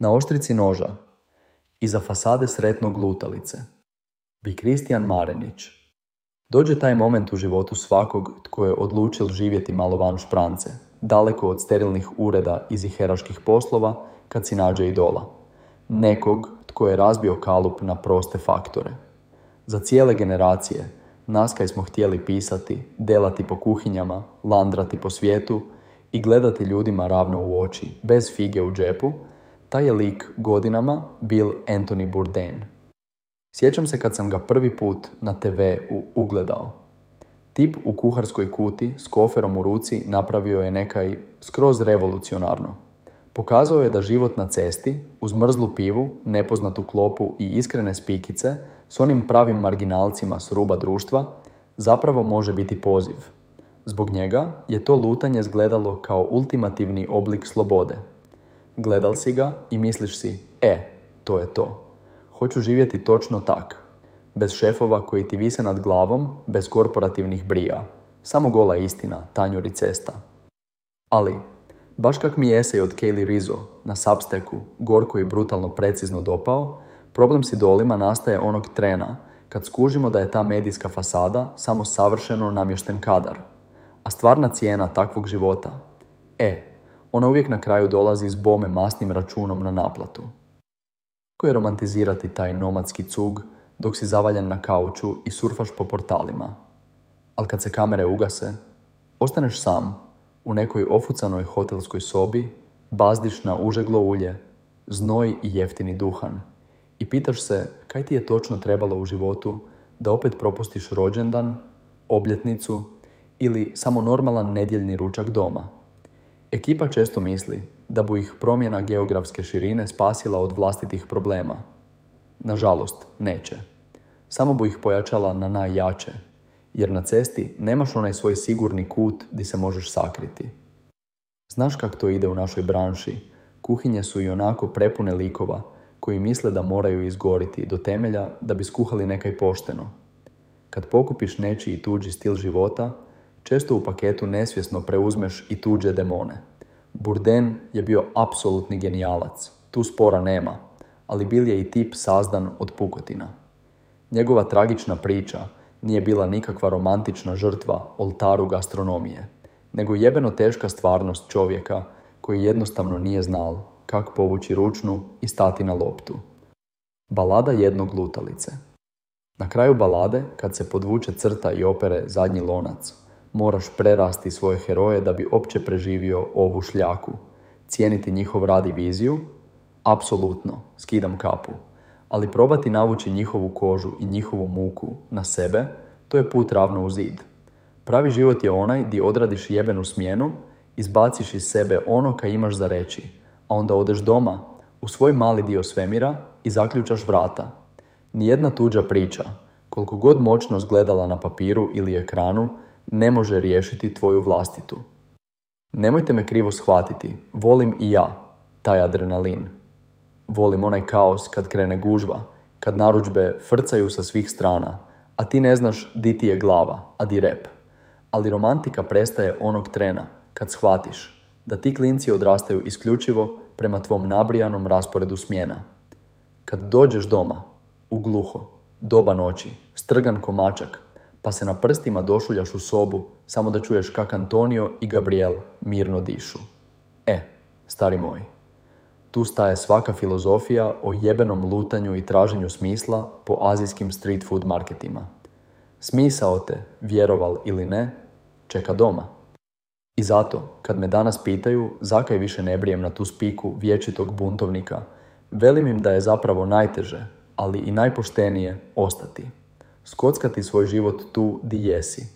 Na oštrici noža, iza fasade sretnog lutalice, bi Kristijan Marenić. Dođe taj moment u životu svakog tko je odlučil živjeti malo van šprance, daleko od sterilnih ureda i ziheraških poslova, kad si nađe idola. Nekog tko je razbio kalup na proste faktore. Za cijele generacije nas kaj smo htjeli pisati, delati po kuhinjama, landrati po svijetu i gledati ljudima ravno u oči, bez fige u džepu, taj je lik godinama bil Anthony Bourdain. Sjećam se kad sam ga prvi put na TV ugledao. Tip u kuharskoj kuti s koferom u ruci napravio je nekaj skroz revolucionarno. Pokazao je da život na cesti, uz mrzlu pivu, nepoznatu klopu i iskrene spikice, s onim pravim marginalcima s ruba društva, zapravo može biti poziv. Zbog njega je to lutanje izgledalo kao ultimativni oblik slobode. Gledal si ga i misliš si, to je to. Hoću živjeti točno tak. Bez šefova koji ti vise nad glavom, bez korporativnih brija. Samo gola istina, tanjur i cesta. Ali, baš kak mi je esej od Kaylee Rizzo na Substacku gorko i brutalno precizno dopao, problem s idolima nastaje onog trena kad skužimo da je ta medijska fasada samo savršeno namješten kadar. A stvarna cijena takvog života, ona uvijek na kraju dolazi s bome masnim računom na naplatu. Kako je romantizirati taj nomadski cug dok si zavaljen na kauču i surfaš po portalima? Ali kad se kamere ugase, ostaneš sam u nekoj ofucanoj hotelskoj sobi, bazdiš na užeglo ulje, znoj i jeftini duhan i pitaš se kaj ti je točno trebalo u životu da opet propustiš rođendan, obljetnicu ili samo normalan nedjeljni ručak doma. Ekipa često misli da bu ih promjena geografske širine spasila od vlastitih problema. Nažalost, neće. Samo bu ih pojačala na najjače, jer na cesti nemaš onaj svoj sigurni kut di se možeš sakriti. Znaš kak to ide u našoj branši? Kuhinje su i onako prepune likova koji misle da moraju izgoriti do temelja da bi skuhali nekaj pošteno. Kad pokupiš nečiji i tuđi stil života, često u paketu nesvjesno preuzmeš i tuđe demone. Bourdain je bio apsolutni genijalac, tu spora nema, ali bil je i tip sazdan od pukotina. Njegova tragična priča nije bila nikakva romantična žrtva oltaru gastronomije, nego jebeno teška stvarnost čovjeka koji jednostavno nije znal kako povući ručnu i stati na loptu. Balada jednog lutalice. Na kraju balade, kad se podvuče crta i opere zadnji lonac, moraš prerasti svoje heroje da bi opće preživio ovu šljaku. Cijeniti njihov rad i viziju? Apsolutno, skidam kapu. Ali probati navući njihovu kožu i njihovu muku na sebe, to je put ravno u zid. Pravi život je onaj di odradiš jebenu smjenu, izbaciš iz sebe ono kaj imaš za reći, a onda odeš doma, u svoj mali dio svemira i zaključaš vrata. Nijedna tuđa priča, koliko god moćno izgledala na papiru ili ekranu, ne može riješiti tvoju vlastitu. Nemojte me krivo shvatiti, volim i ja taj adrenalin. Volim onaj kaos kad krene gužva, kad narudžbe frcaju sa svih strana, a ti ne znaš di ti je glava, a di rep. Ali romantika prestaje onog trena kad shvatiš da ti klinci odrastaju isključivo prema tvom nabrijanom rasporedu smjena. Kad dođeš doma, u gluho, doba noći, strgan ko mačak, pa se na prstima došuljaš u sobu samo da čuješ kak Antonio i Gabriel mirno dišu. Stari moj, tu staje svaka filozofija o jebenom lutanju i traženju smisla po azijskim street food marketima. Smisao te, vjeroval ili ne, čeka doma. I zato, kad me danas pitaju zakaj više ne brijem na tu spiku vječitog buntovnika, velim im da je zapravo najteže, ali i najpoštenije ostati. Skockati svoj život tu di jesi.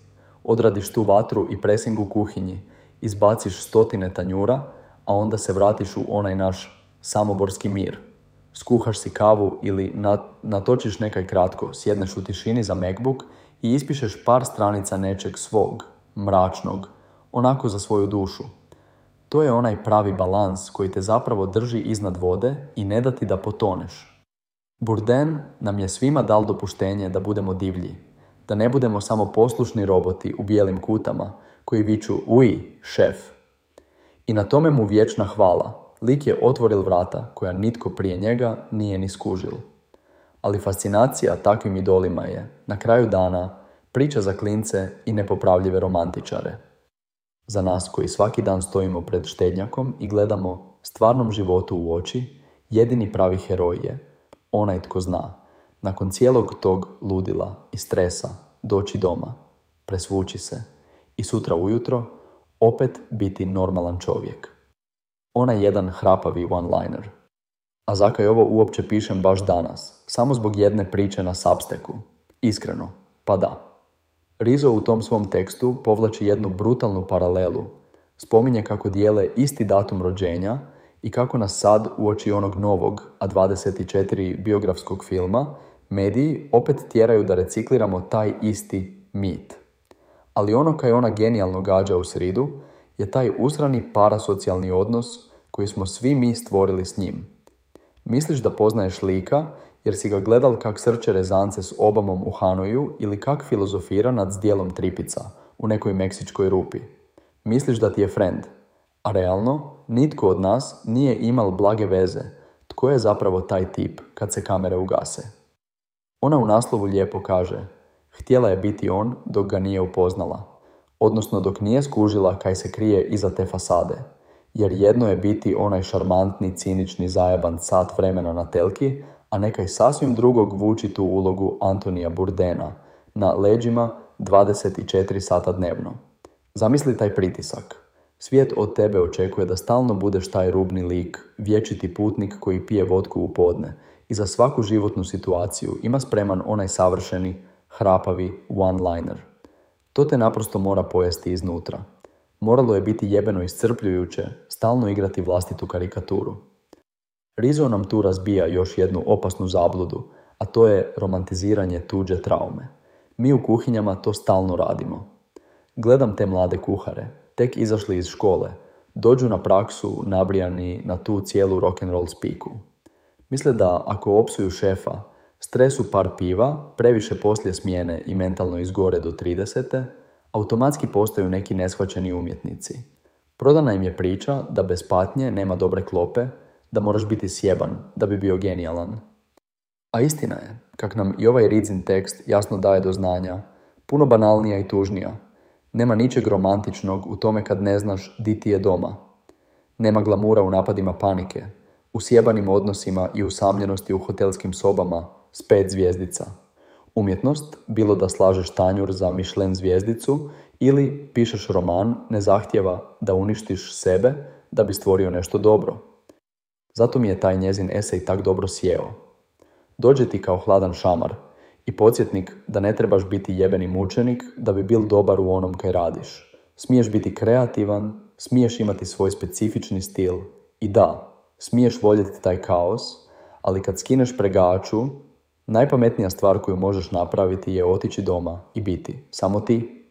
Odradiš tu vatru i presing u kuhinji, izbaciš stotine tanjura, a onda se vratiš u onaj naš samoborski mir. Skuhaš si kavu ili natočiš nekaj kratko, sjedneš u tišini za MacBook i ispišeš par stranica nečeg svog, mračnog, onako za svoju dušu. To je onaj pravi balans koji te zapravo drži iznad vode i ne da ti da potoneš. Bourdain nam je svima dal dopuštenje da budemo divlji, da ne budemo samo poslušni roboti u bijelim kutama koji viču uj, šef. I na tome mu vječna hvala, lik je otvoril vrata koja nitko prije njega nije ni skužil. Ali fascinacija takvim idolima je, na kraju dana, priča za klince i nepopravljive romantičare. Za nas koji svaki dan stojimo pred štednjakom i gledamo stvarnom životu u oči, jedini pravi heroj je onaj tko zna, nakon cijelog tog ludila i stresa, doći doma, presvući se i sutra ujutro opet biti normalan čovjek. Onaj jedan hrapavi one-liner. A zakaj ovo uopće pišem baš danas? Samo zbog jedne priče na Substacku. Iskreno, pa da. Rizzo u tom svom tekstu povlači jednu brutalnu paralelu. Spominje kako dijele isti datum rođenja i kako nas sad, uoči onog novog, a 24 biografskog filma, mediji opet tjeraju da recikliramo taj isti mit. Ali ono kaj ona genijalno gađa u sridu je taj usrani parasocijalni odnos koji smo svi mi stvorili s njim. Misliš da poznaješ lika jer si ga gledal kak srče rezance s Obamom u Hanoju ili kak filozofira nad zdjelom tripica u nekoj meksičkoj rupi. Misliš da ti je friend, a realno nitko od nas nije imal blage veze tko je zapravo taj tip kad se kamere ugase. Ona u naslovu lijepo kaže: htjela je biti on dok ga nije upoznala, odnosno dok nije skužila kaj se krije iza te fasade, jer jedno je biti onaj šarmantni, cinični, zajeban sat vremena na telki, a nekaj sasvim drugog vuči tu ulogu Antonija Bourdaina na leđima 24 sata dnevno. Zamisli taj pritisak. Svijet od tebe očekuje da stalno budeš taj rubni lik, vječiti putnik koji pije vodku u podne i za svaku životnu situaciju ima spreman onaj savršeni, hrapavi one-liner. To te naprosto mora pojesti iznutra. Moralo je biti jebeno iscrpljujuće stalno igrati vlastitu karikaturu. Rizzo nam tu razbija još jednu opasnu zabludu, a to je romantiziranje tuđe traume. Mi u kuhinjama to stalno radimo. Gledam te mlade kuhare, tek izašli iz škole, dođu na praksu nabrijani na tu cijelu rock'n'roll spiku. Misle da ako opsuju šefa, stresu par piva, previše poslije smjene i mentalno izgore do 30. automatski postaju neki neshvaćeni umjetnici. Prodana im je priča da bez patnje nema dobre klope, da moraš biti sjeban da bi bio genijalan. A istina je, kak nam i ovaj Rizzin tekst jasno daje do znanja, puno banalnija i tužnija. Nema ničeg romantičnog u tome kad ne znaš di ti je doma. Nema glamura u napadima panike, u sjebanim odnosima i usamljenosti u hotelskim sobama s 5 zvjezdica. Umjetnost, bilo da slažeš tanjur za Michelin zvjezdicu ili pišeš roman, ne zahtijeva da uništiš sebe da bi stvorio nešto dobro. Zato mi je taj njezin esej tak dobro sjeo. Dođe ti kao hladan šamar i podsjetnik da ne trebaš biti jebeni mučenik da bi bil dobar u onom kaj radiš. Smiješ biti kreativan, smiješ imati svoj specifični stil i da, smiješ voljeti taj kaos, ali kad skineš pregaču, najpametnija stvar koju možeš napraviti je otići doma i biti samo ti.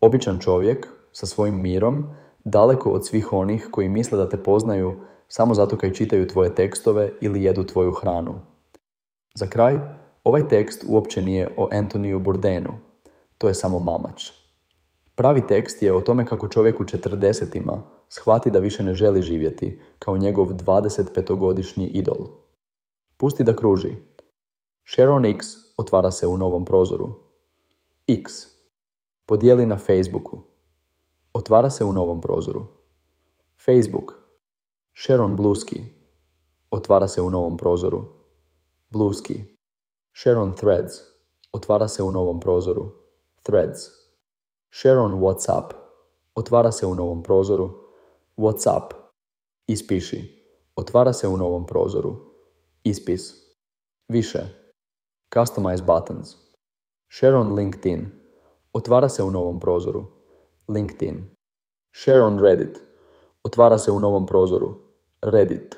Običan čovjek sa svojim mirom, daleko od svih onih koji misle da te poznaju samo zato kaj čitaju tvoje tekstove ili jedu tvoju hranu. Za kraj, ovaj tekst uopće nije o Antoniju Bourdainu. To je samo mamač. Pravi tekst je o tome kako čovjek u 40-ima shvati da više ne želi živjeti kao njegov 25-godišnji idol. Pusti da kruži. Sharon X otvara se u novom prozoru. X. Podijeli na Facebooku. Otvara se u novom prozoru. Facebook. Sharon Bluski. Otvara se u novom prozoru. Bluski. Sharon Threads. Otvara se u novom prozoru. Threads. Sharon WhatsApp. Otvara se u novom prozoru. WhatsApp. Ispiši. Otvara se u novom prozoru. Ispis. Više. Customize buttons. Sharon LinkedIn. Otvara se u novom prozoru. LinkedIn. Sharon Reddit. Otvara se u novom prozoru. Reddit.